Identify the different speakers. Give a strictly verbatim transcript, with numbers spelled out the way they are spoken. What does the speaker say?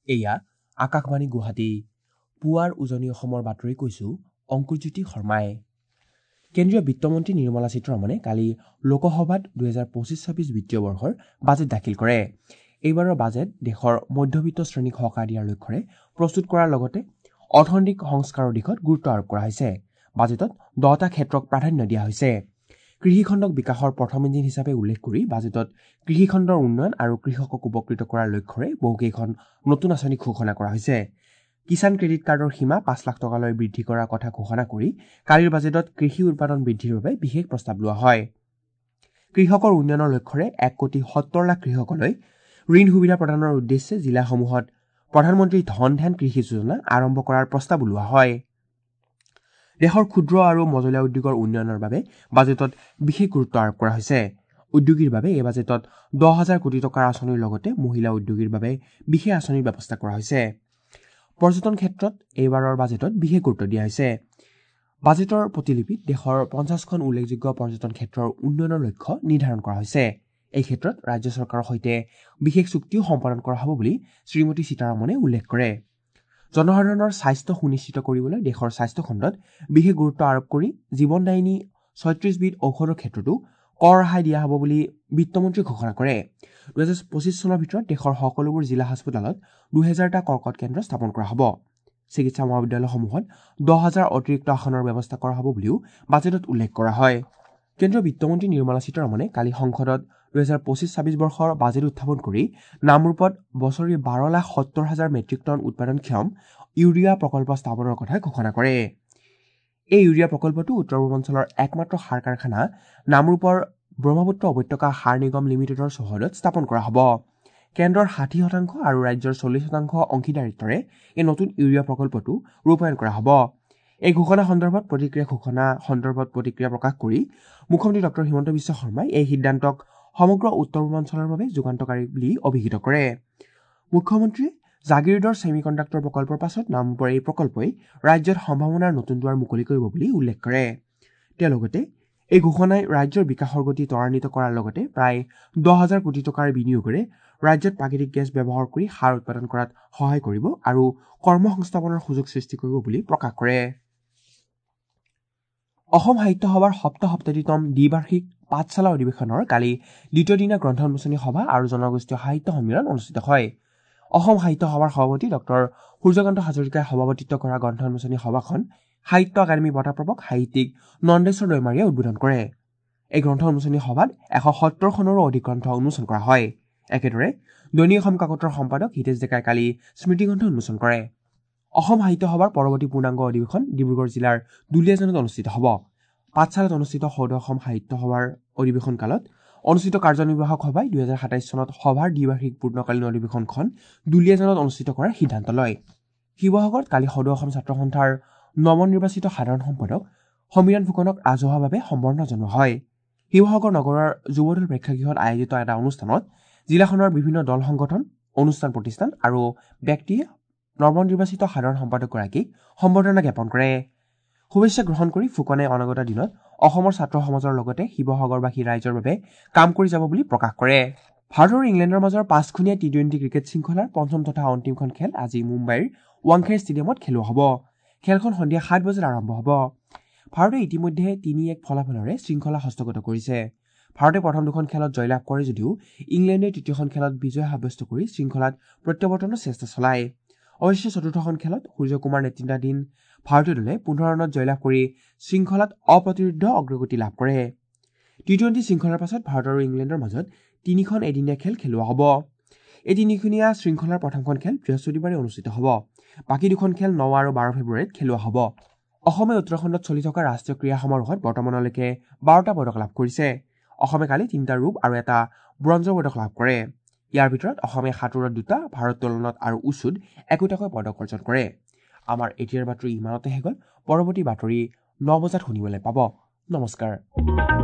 Speaker 1: এয়া আকাশবাণী গুৱাহাটী। পুৱাৰ উজনি অসমৰ বাতৰি কৈছো অংকুৰজ্যোতি শৰ্মাই। কেন্দ্ৰীয় বিত্তমন্ত্ৰী নিৰ্মলা সীতাৰমণে কালি লোকসভাত দুহেজাৰ পঁচিছ ছাব্বিছ বিত্তীয় বৰ্ষৰ বাজেট দাখিল কৰে। এইবাৰৰ বাজেট দেশৰ মধ্যবিত্ত শ্ৰেণীক সকাহ দিয়াৰ লক্ষ্যৰে প্ৰস্তুত কৰাৰ লগতে অৰ্থনৈতিক সংস্কাৰৰ দিশত গুৰুত্ব আৰোপ কৰা হৈছে। বাজেটত দহটা ক্ষেত্ৰক প্ৰাধান্য দিয়া হৈছে। কৃষিখণ্ডক বিকাশৰ প্ৰথম ইঞ্জিন হিচাপে উল্লেখ কৰি বাজেটত কৃষিখণ্ডৰ উন্নয়ন আৰু কৃষকক উপকৃত কৰাৰ লক্ষ্যৰে বহুকেইখন নতুন আঁচনি ঘোষণা কৰা হৈছে। কিষাণ ক্ৰেডিট কাৰ্ডৰ সীমা পাঁচ লাখ টকালৈ বৃদ্ধি কৰাৰ কথা ঘোষণা কৰি কালিৰ বাজেটত কৃষি উৎপাদন বৃদ্ধিৰ বাবে বিশেষ প্ৰস্তাৱ লোৱা হয়। কৃষকৰ উন্নয়নৰ লক্ষ্যৰে এক কোটি সত্তৰ লাখ কৃষকলৈ ঋণ সুবিধা প্ৰদানৰ উদ্দেশ্যে জিলাসমূহত প্ৰধানমন্ত্ৰী ধন ধ্যান কৃষি যোজনা আৰম্ভ কৰাৰ প্ৰস্তাৱো লোৱা হয়। দেশৰ ক্ষুদ্ৰ আৰু মজলীয়া উদ্যোগৰ উন্নয়নৰ বাবে বাজেটত বিশেষ গুৰুত্ব আৰোপ কৰা হৈছে। উদ্যোগীৰ বাবে এই বাজেটত দহ হাজাৰ কোটি টকাৰ আঁচনিৰ লগতে মহিলা উদ্যোগীৰ বাবে বিশেষ আঁচনিৰ ব্যৱস্থা কৰা হৈছে। পৰ্যটন ক্ষেত্ৰত এইবাৰৰ বাজেটত বিশেষ গুৰুত্ব দিয়া হৈছে। বাজেটৰ প্ৰতিলিপিত দেশৰ পঞ্চাছখন উল্লেখযোগ্য পৰ্যটন ক্ষেত্ৰৰ উন্নয়নৰ লক্ষ্য নিৰ্ধাৰণ কৰা হৈছে। এই ক্ষেত্ৰত ৰাজ্য চৰকাৰৰ সৈতে বিশেষ চুক্তিও সম্পাদন কৰা হ'ব বুলি শ্ৰীমতী সীতাৰমণে উল্লেখ কৰে। জনসাধাৰণৰ স্বাস্থ্য সুনিশ্চিত কৰিবলৈ দেশৰ স্বাস্থ্যখণ্ডত বিশেষ গুৰুত্ব আৰোপ কৰি জীৱনদায়িনী ছয়ত্ৰিছবিধ ঔষধৰ ক্ষেত্ৰতো কৰ ৰেহাই দিয়া হ'ব বুলি বিত্তমন্ত্ৰীয়ে ঘোষণা কৰে। দুহেজাৰ পঁচিছ চনৰ ভিতৰত দেশৰ সকলোবোৰ জিলা হাস্পতালত দুহেজাৰটা কৰ্কট কেন্দ্ৰ স্থাপন কৰা হ'ব। চিকিৎসা মহাবিদ্যালয়সমূহত দহ হাজাৰ অতিৰিক্ত আসনৰ ব্যৱস্থা কৰা হ'ব বুলিও বাজেটত উল্লেখ কৰা হয়। কেন্দ্ৰীয় বিত্তমন্ত্ৰী নিৰ্মলা সীতাৰমণে কালি সংসদত দুহেজাৰ পঁচিছ ছাব্বিছ বৰ্ষৰ বাজেট উত্থাপন কৰি নামৰূপত বছৰি বাৰ লাখ সত্তৰ হাজাৰ মেট্ৰিক টন উৎপাদনক্ষম ইউৰিয়া প্ৰকল্প স্থাপনৰ কথা ঘোষণা কৰে। এই ইউৰিয়া প্ৰকল্পটো উত্তৰ পূৰ্বাঞ্চলৰ একমাত্ৰ সাৰ কাৰখানা নামৰূপৰ ব্ৰহ্মপুত্ৰ উপত্যকা সাৰ নিগম লিমিটেডৰ চৌহদত স্থাপন কৰা হ'ব। কেন্দ্ৰৰ ষাঠি শতাংশ আৰু ৰাজ্যৰ চল্লিছ শতাংশ অংশীদাৰিত্বৰে এই নতুন ইউৰিয়া প্ৰকল্পটো ৰূপায়ণ কৰা হ'ব। এই ঘোষণা সন্দৰ্ভত প্ৰতিক্ৰিয়া ঘোষণা সন্দৰ্ভত প্ৰতিক্ৰিয়া প্ৰকাশ কৰি মুখ্যমন্ত্ৰী ডক্টৰ হিমন্ত বিশ্ব শৰ্মাই এই সিদ্ধান্তক সমগ্ৰ উত্তৰ পূৰ্বাঞ্চলৰ বাবে যুগান্তকাৰী বুলি অভিহিত কৰে। মুখ্যমন্ত্ৰীয়ে জাগিৰোডৰ ছেমি কণ্ডাক্টৰ প্ৰকল্পৰ পাছত নামৰূপৰ এই প্ৰকল্পই ৰাজ্যত সম্ভাৱনাৰ নতুন দুৱাৰ মুকলি কৰিব বুলি উল্লেখ কৰে। তেওঁ লগতে এই ঘোষণাই ৰাজ্যৰ বিকাশৰ গতি ত্বৰান্বিত কৰাৰ লগতে প্ৰায় দহ হাজাৰ কোটি টকাৰ বিনিয়োগেৰে ৰাজ্যত প্ৰাকৃতিক গেছ ব্যৱহাৰ কৰি সাৰ উৎপাদন কৰাত সহায় কৰিব আৰু কৰ্মসংস্থাপনৰ সুযোগ সৃষ্টি কৰিব বুলি প্ৰকাশ কৰে। অসম সাহিত্য সভাৰ সপ্তসপ্ততিতম দ্বিবাৰ্ষিক পাঠশালা অধিৱেশনৰ কালি দ্বিতীয় দিনা গ্ৰন্থ উন্মোচনী সভা আৰু জনগোষ্ঠীয় সাহিত্য সন্মিলন অনুষ্ঠিত হয়। অসম সাহিত্য সভাৰ সভাপতি ডক্টৰ সূৰ্যকান্ত হাজৰিকাই সভাপতিত্ব কৰা গ্ৰন্থ উন্মোচনী সভাখন সাহিত্য একাডেমী বঁটাপ্ৰাপক সাহিত্যিক নন্দেশ্বৰ দৈমাৰীয়ে উদ্বোধন কৰে। এই গ্ৰন্থ উন্মোচনী সভাত এশ সত্তৰখনৰো অধিক গ্ৰন্থ উন্মোচন কৰা হয়। একেদৰে দৈনিক অসম কাকতৰ সম্পাদক হিতেশ ডেকাই কালি স্মৃতিগ্ৰন্থ উন্মোচন কৰে। অসম সাহিত্য সভাৰ পৰৱৰ্তী পূৰ্ণাংগ অধিৱেশন ডিব্ৰুগড় জিলাৰ দুলীয়াজানত অনুষ্ঠিত হ'ব। পাঠশালাত অনুষ্ঠিত সদৌ অসম সাহিত্য সভাৰ অধিৱেশন কালত অনুষ্ঠিত কাৰ্যনিৰ্বাহক সভাই দুহেজাৰ সাতাইছ চনত সভাৰ দ্বিবাৰ্ষিক পূৰ্ণকালীন অধিৱেশনখন দুলীয়াজানত অনুষ্ঠিত কৰাৰ সিদ্ধান্ত লয়। শিৱসাগৰত কালি সদৌ অসম ছাত্ৰ সন্থাৰ নৱনিৰ্বাচিত সাধাৰণ সম্পাদক সমীৰণ ফুকনক ৰাজহুৱাভাৱে সম্বৰ্ধনা জনোৱা হয়। শিৱসাগৰ নগৰৰ যুৱদল প্ৰেক্ষাগৃহত আয়োজিত এটা অনুষ্ঠানত জিলাখনৰ বিভিন্ন দল সংগঠন, অনুষ্ঠান প্ৰতিষ্ঠান আৰু ব্যক্তিয়ে নৱনিৰ্বাচিত সাধাৰণ সম্পাদকগৰাকীক সম্বৰ্ধনা জ্ঞাপন কৰে। শুভেচ্ছা গ্ৰহণ কৰি ফুকনে অনাগত দিনত অসমৰ ছাত্ৰ সমাজৰ লগতে শিৱসাগৰবাসী ৰাইজৰ বাবে কাম কৰি যাব বুলি প্ৰকাশ কৰে। ভাৰত আৰু ইংলেণ্ডৰ মাজৰ পাঁচখনীয়া টি টুৱেণ্টি ক্ৰিকেট শৃংখলাৰ পঞ্চম তথা অন্তিমখন খেল আজি মুম্বাইৰ ৱাংখেড়ে ষ্টেডিয়ামত খেলোৱা হ'ব। খেলখন সন্ধিয়া সাত বজাত আৰম্ভ হ'ব। ভাৰতে ইতিমধ্যে তিনি এক ফলাফলেৰে শৃংখলা হস্তগত কৰিছে। ভাৰতে প্ৰথম দুখন খেলত জয়লাভ কৰে যদিও ইংলেণ্ডে তৃতীয়খন খেলত বিজয় সাব্যস্ত কৰি শৃংখলাত প্ৰত্যাৱৰ্তনৰ চেষ্টা চলায়। অৱশ্যে চতুৰ্থখন খেলত সূৰ্যকুমাৰ নেতৃত্বাধীন ভাৰতীয় দলে পোন্ধৰ ৰানত জয়লাভ কৰি শৃংখলাত অপ্ৰতিৰোধ্য অগ্ৰগতি লাভ কৰে। টি টুৱেণ্টি শৃংখলাৰ পাছত ভাৰত আৰু ইংলেণ্ডৰ মাজত তিনিখন এদিনীয়া খেল খেলোৱা হ'ব। এই তিনিখনীয়া শৃংখলাৰ প্ৰথমখন খেল বৃহস্পতিবাৰে অনুষ্ঠিত হ'ব। বাকী দুখন খেল ন আৰু বাৰ ফেব্ৰুৱাৰীত খেলোৱা হ'ব। অসমে উত্তৰাখণ্ডত চলি থকা ৰাষ্ট্ৰীয় ক্ৰীড়া সমাৰোহত বৰ্তমানলৈকে বাৰটা পদক লাভ কৰিছে। অসমে কালি তিনিটা ৰূপ আৰু এটা ব্ৰঞ্জৰ পদক লাভ কৰে। ইয়াৰ ভিতৰত অসমে সাঁতোৰত দুটা, ভাৰোত্তোলনত আৰু উচুত একোটাকৈ পদক অৰ্জন কৰে। আমাৰ এতিয়াৰ বাতৰি ইমানতে শেষ হ'ল। পৰৱৰ্তী বাতৰি ন বজাত শুনিবলৈ পাব। নমস্কাৰ।